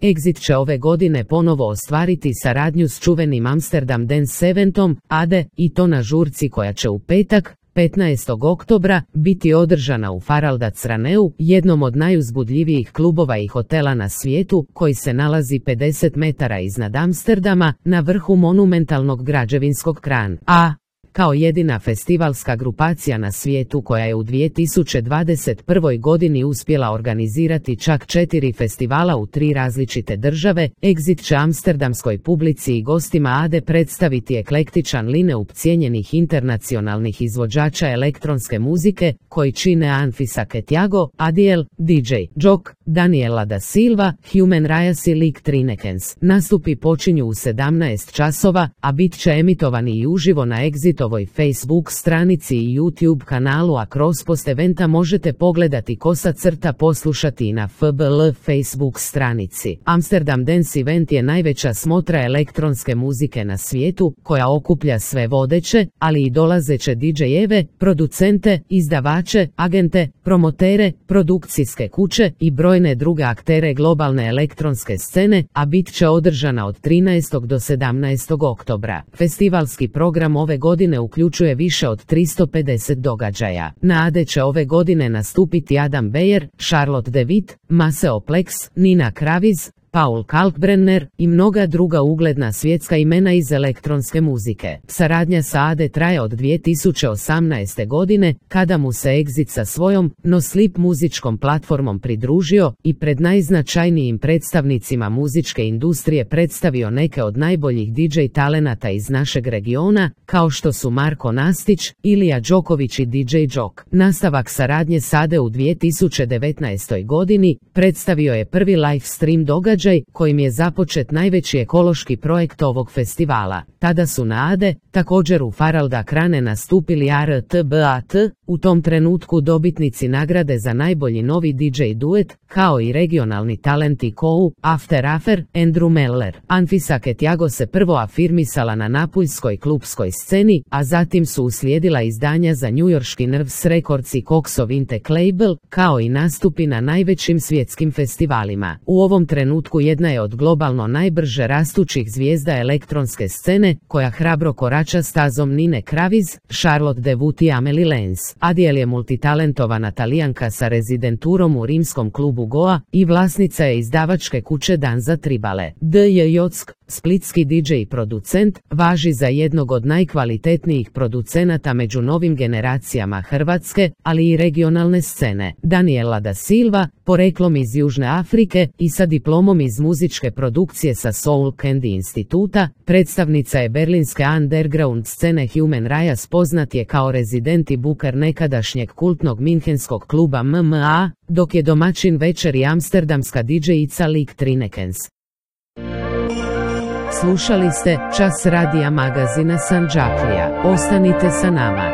Exit će ove godine ponovo ostvariti saradnju s čuvenim Amsterdam Dance Eventom, ADE, i to na žurci koja će u petak, 15. oktobra, biti održana u Faraldatsraneu, jednom od najuzbudljivijih klubova i hotela na svijetu, koji se nalazi 50 metara iznad Amsterdama, na vrhu monumentalnog građevinskog krana. Kao jedina festivalska grupacija na svijetu koja je u 2021. godini uspjela organizirati čak 4 festivala u 3 različite države, Exit će amsterdamskoj publici i gostima ADE predstaviti eklektičan line-up cijenjenih internacionalnih izvođača elektronske muzike, koji čine Anfisa Ketiago, Adiel, DJ Jock, Daniela da Silva, Human Rias i Lik Trinekens. Nastupi počinju u 17 časova, a bit će emitovani i uživo na Exitovoj Facebook stranici i YouTube kanalu, a kroz post eventa možete pogledati poslušati i na FBL Facebook stranici. Amsterdam Dance Event je najveća smotra elektronske muzike na svijetu, koja okuplja sve vodeće, ali i dolazeće DJ-eve, producente, izdavače, agente, promotere, produkcijske kuće i brojne druge aktere globalne elektronske scene, a bit će održana od 13. do 17. oktobra. Festivalski program ove godine uključuje više od 350 događaja. Na ADE će ove godine nastupiti Adam Beyer, Charlotte de Witt, Maceo Plex, Nina Kraviz, Paul Kalkbrenner i mnoga druga ugledna svjetska imena iz elektronske muzike. Saradnja sa ADE traje od 2018. godine, kada mu se Exit sa svojom No Sleep muzičkom platformom pridružio i pred najznačajnijim predstavnicima muzičke industrije predstavio neke od najboljih DJ talenata iz našeg regiona, kao što su Marko Nastić, Ilija Đoković i DJ Jock. Nastavak saradnje s ADE u 2019. godini predstavio je prvi live stream događaj kojim je započet najveći ekološki projekt ovog festivala. Tada su na ADE, također u Faraldakrane, nastupili RTBAT, u tom trenutku dobitnici nagrade za najbolji novi DJ duet, kao i regionalni talenti Kou, After Affair, Andrew Meller. Anfisa Ketiago se prvo afirmisala na napuljskoj klubskoj sceni, a zatim su uslijedila izdanja za njujorški Nerves Records i Coxov Intec label, kao i nastupi na najvećim svjetskim festivalima. U ovom trenutku jedna je od globalno najbrže rastućih zvijezda elektronske scene, koja hrabro korača stazom Nine Kraviz, Charlotte de Witt i Amelie Lenz. Adiel je multitalentovana Talijanka sa rezidenturom u rimskom klubu Goa i vlasnica je izdavačke kuće Danza Tribale. DJ Jock, splitski DJ i producent, važi za jednog od najkvalitetnijih producenata među novim generacijama hrvatske, ali i regionalne scene. Daniela da Silva, poreklom iz Južne Afrike i sa diplomom iz muzičke produkcije sa Soul Candy instituta, predstavnica je berlinske underground scene Human Rias, poznat je kao rezident i booker nekadašnjeg kultnog minhenskog kluba MMA, dok je domaćin večeri amsterdamska DJ-ica Lik Trinekens. Slušali ste Čas radija magazina Sandžaklija. Ostanite sa nama.